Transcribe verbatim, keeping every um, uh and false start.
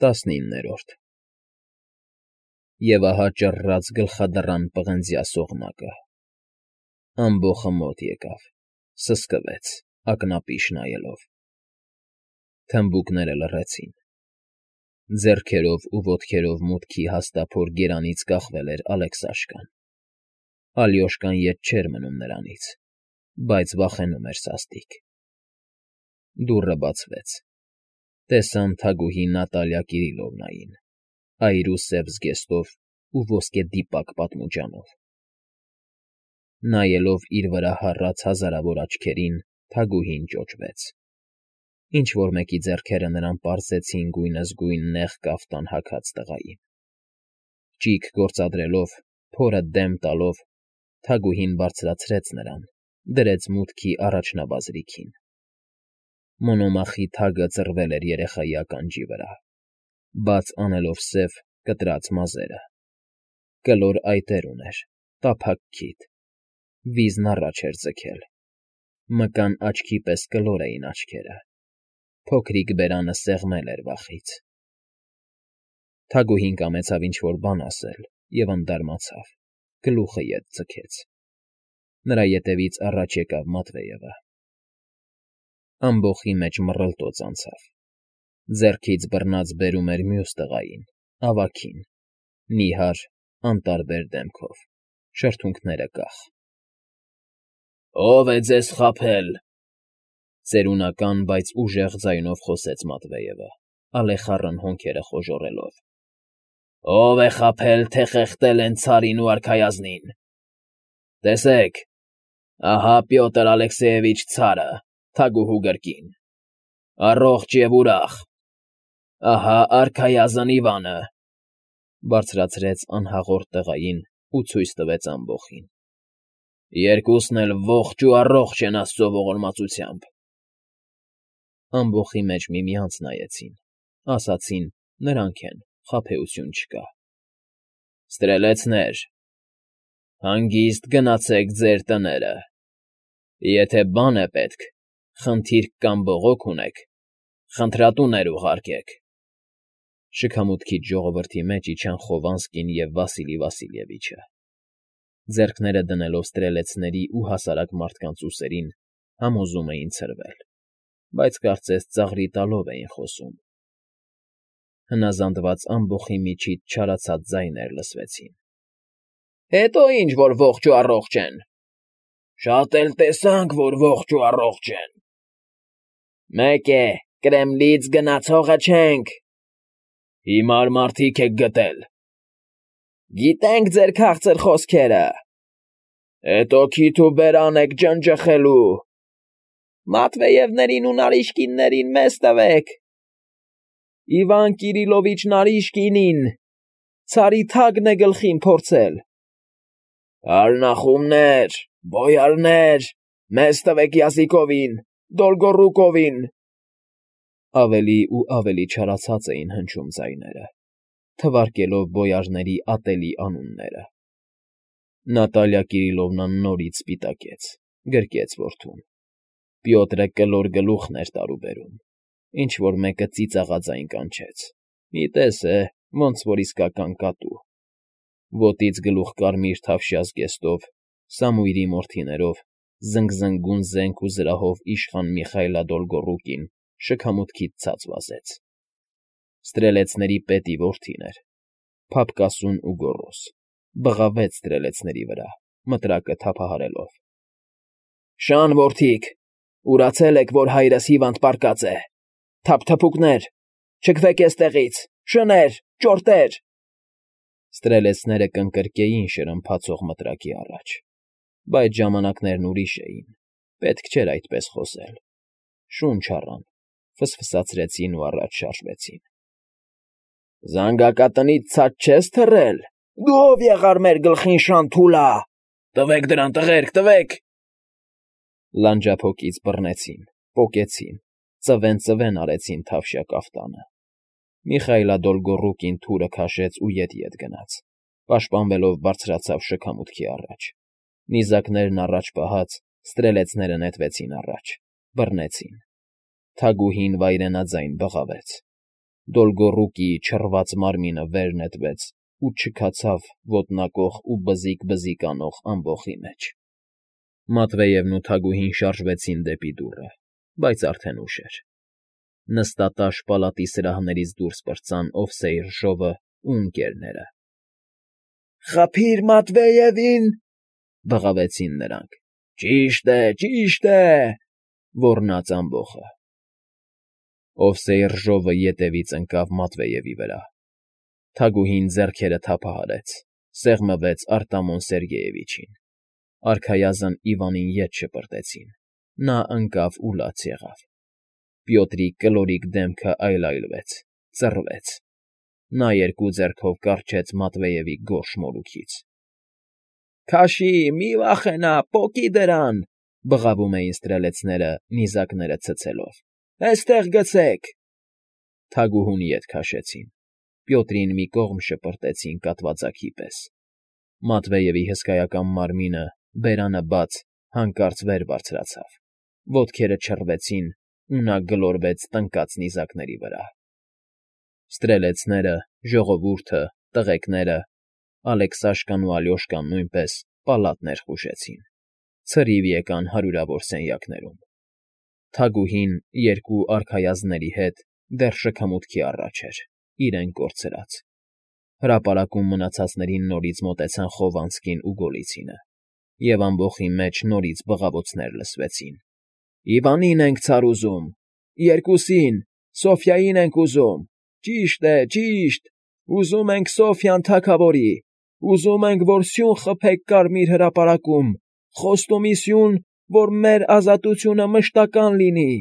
Տասնիններորդ Եվ ահա ճռռաց գլխադռան պղնձյա սողնակը, ամբոխը մոտ եկավ, սսկվեց, ակնապիշ նայելով. թմբուկները լռեցին, ձեռքերով ու ոտքերով մուտքի հաստափոր գերանից կախվել էր Ալեքսաշկան, Ալյոշկան ետ չէր մնում նրանից, բայց վախենում էր սաստիկ. դուռը բացվեց, տեսան թագուհի Նատալիա Կիրիլովնային, այր ու սև զգեստով ու ոսկեդիպակ պատմուջանով. նայելով իր վրա հառած հազարավոր աչքերին, թագուհին ճոճվեց, ինչ֊որ մեկի ձեռքերը նրան պարզեցին գույնզգույն նեղ կաֆտան հագած տղային. ճիգ գործադրելով, փորը դեմ տալով, թագուհին բարձրացրեց նրան, դրեց մուտքի առաջնաբազրիքին. Մոնոմախի թագը ծռվել էր երեխայի ականջի վրա, բաց անելով սև, կտրած մազերը, կլոր այտեր ուներ, տափակ քիթ, վիզն առաջ էր ձգել, մկան աչքի պես կլոր էին աչքերը, փոքրիկ բերանը սեղմել էր վախից. Թագուհին կամեցավ ինչ֊որ բան ասել և ընդարմացավ, գլուխը ետ ձգեց, նրա ետևից առաջ եկավ Մատվեևը. ամբոխի մեջ մռլտոց անցավ, ձեռքից բռնած բերում էր մյուս տղային, ավագին, նիհար, անտարբեր դեմքով, շրթունքները կախ. Ո՞վ է ձեզ խաբել,֊ ծերունական, բայց ուժեղ ձայնով խոսեց Մատվեևը, ալեխառն հոնքերը խոժոռելով,֊ ո՞վ է խաբել, թե խեղդել են ցարին ու արքայազնին… Տեսեք, ահա Պյոտր Ալեքսեևիչ ցարը, թագուհու գրկին, առողջ և ուրախ, ահա արքայազն Իվանը,֊ բարձրացրեց անհաղորդ տղային ու ցույց տվեց ամբոխին,֊ երկուսն էլ ողջ ու առողջ են աստծո ողորմածությամբ… Ամբոխի մեջ միմյանց նայեցին, ասացին նրանք են, խաբեություն չկա։ Ստրելեցնե՛ր, հանգիստ գնացեք ձեր տները, եթե բան է պետք, խնդիրք կամ բողոք ունեք, խնդրատուներ ուղարկեք… Շքամուտքից ժողովրդի մեջ իջան Խովանսկին և Վասիլի Վասիլևիչը, ձեռքները դնելով ստրելեցների ու հասարակ մարդկանց ուսերին, համոզում էին ցրվել, բայց կարծես ծաղրի տալով էին խոսում… Հնազանդված ամբոխի միջից չարացած ձայներ լսվեցին. Հետո ինչ որ ողջ ու առողջ են… Շատ էլ տեսանք, որ ողջ ու առողջ են… Մեկ է, Կրեմլից գնացողը չենք… Հիմար մարդիկ եք գտել… Գիտենք ձեր քաղցր խոսքերը… Հետո քիթ ու բերան եք ջնջխելու… Մատվեևներին ու Նարիշկիններին մեզ տվեք… Իվան Կիրիլովիչ Նարիշկինին… Ցարի թագն է գլխին փորձել… Արնախումներ, բոյարներ, մեզ տվեք Յազիկովին, Դոլգոռուկովին… Ավելի ու ավելի չարացած էին հնչում ձայները, թվարկելով բոյարների ատելի անունները… Նատալիա Կիրիլովնան նորից սպիտակեց, գրկեց որդուն… Պյոտրը կլոր գլուխն էր տարուբերում, ինչ֊որ մեկը ծիծաղաձայն կանչեց, մի տեսե, ոնց որ իսկական կատու… Ոտից գլուխ կարմիր թավշյա զգեստով, Սամուիրի մորթիներով, զնգզնգուն զենք ու զրահով իշխան Միխայլա Դոլգոռուկին շքամուտքից ցած վազեց… Ստրելեցների պետի որդին էր, փափկասուն ու գոռոզ, բղավեց ստրելեցների վրա, մտրակը թափահարելով. Շան որդիկ, ուրացե՞լ եք, որ հայրս հիվանդ պառկած է… Թափթփուկներ, չգվեք էստեղից, շներ, ճորտեր… Ստրելեցները կընկրկեին շրմփացող մտրակի առաջ, բայց ժամանակներն ուրիշ էին, պետք չէր այդպես խոսել… Շունչ առան, ֆսֆսացրեցին ու առաջ շարժվեցին… Զանգակատնից ցած չես թռել… Դու ո՞վ եղար մեր գլխին, շան թուլա… Տվեք դրան, տղերք, տվեք… Լանջափոկից բռնեցին, պոկեցին, ծվեն֊ծվեն արեցին թավշյա կաֆտանը… Միխայլա Դոլգոռուկին թուրը քաշեց ու ետ֊ետ գնաց, պաշտպանվելով բարձրացավ շքամուտքի առաջ, նիզակներն առաջ պահած, ստրելեցները նետվեցին առաջ, բռնեցին… Թագուհին վայրենաձայն բղավեց… Դոլգոռուկի չռված մարմինը վեր նետվեց ու չքացավ ոտնակոխ ու բզիկ-բզիկ անող ամբոխի մեջ։ Մատվեևն ու Թագուհին շարժվեցին դեպի դուռը, բայց արդեն ուշ էր։ Նստատաշ պալատի սրահներից դուրս պրծան Օվսեյր-Ժովն ու Ընկ.-ները։ ֊ Խփի՛ր Մատվեևին,֊ բղավեցին նրանք։ ֊ Ճիշտ է, ճիշտ է,֊ ոռնաց ամբոխը։ Օվսեյր֊Ժովը ետևից ընկավ Մատվեևի վրա։ Թագուհին ձեռքերը թափահարեց, սեղմվեց Արտամոն Սերգեյևիչին։ Արքայազն Իվանին ետ շպրտեցին, նա ընկավ ու լաց եղավ։ Պյոտրի կլորիկ դեմքը այլայլվեց, ծռվեց։ Նա երկու ձեռքով կառչեց Մատվեևի գորշ մորուքից։ ֊ Քաշի, մի վախենա, պոկի դրան,֊ բղավում էին ստրելեցները, նիզակները ցցելով։֊ Էստեղ գցեք… Թագուհուն ետ քաշեցին, Պյոտրին մի կողմ շպրտեցին կատվածակի պես։ Մատվեևի հսկայական մարմինը, բերանը բաց, հանկարծ վեր բարձրացավ, ոտքերը չռվեցին, ու նա գլորվեց տնկած նիզակների վրա։ Ստրելեցները, ժողովուրդը, տղեկները, Ալեքսաշկան ու Ալյոշկան նույնպես պալատ ներխուժեցին, ցրիվ եկան հարյուրավոր սենյակներում։ Թագուհին երկու արքայազնների հետ դեռ շքամուտքի առաջ էր, իրեն կորցրած։ Հրապարակում մնացածներին նորից մոտեցան Խովանցկին ու Գոլիցինը, և ամբոխի մեջ նորից բղավոցներ լսվեցին։ ֊ Իվանին ենք ցար ուզում, երկուսին, Սոֆյային ենք ուզում, ճիշտ է, ճիշտ, ուզում ենք Սոֆյան թագավորի, ուզում ենք, որ սյուն խփեք Կարմիր հրապարակում, խոստումի սյուն, որ մեր ազատությունը մշտական լինի։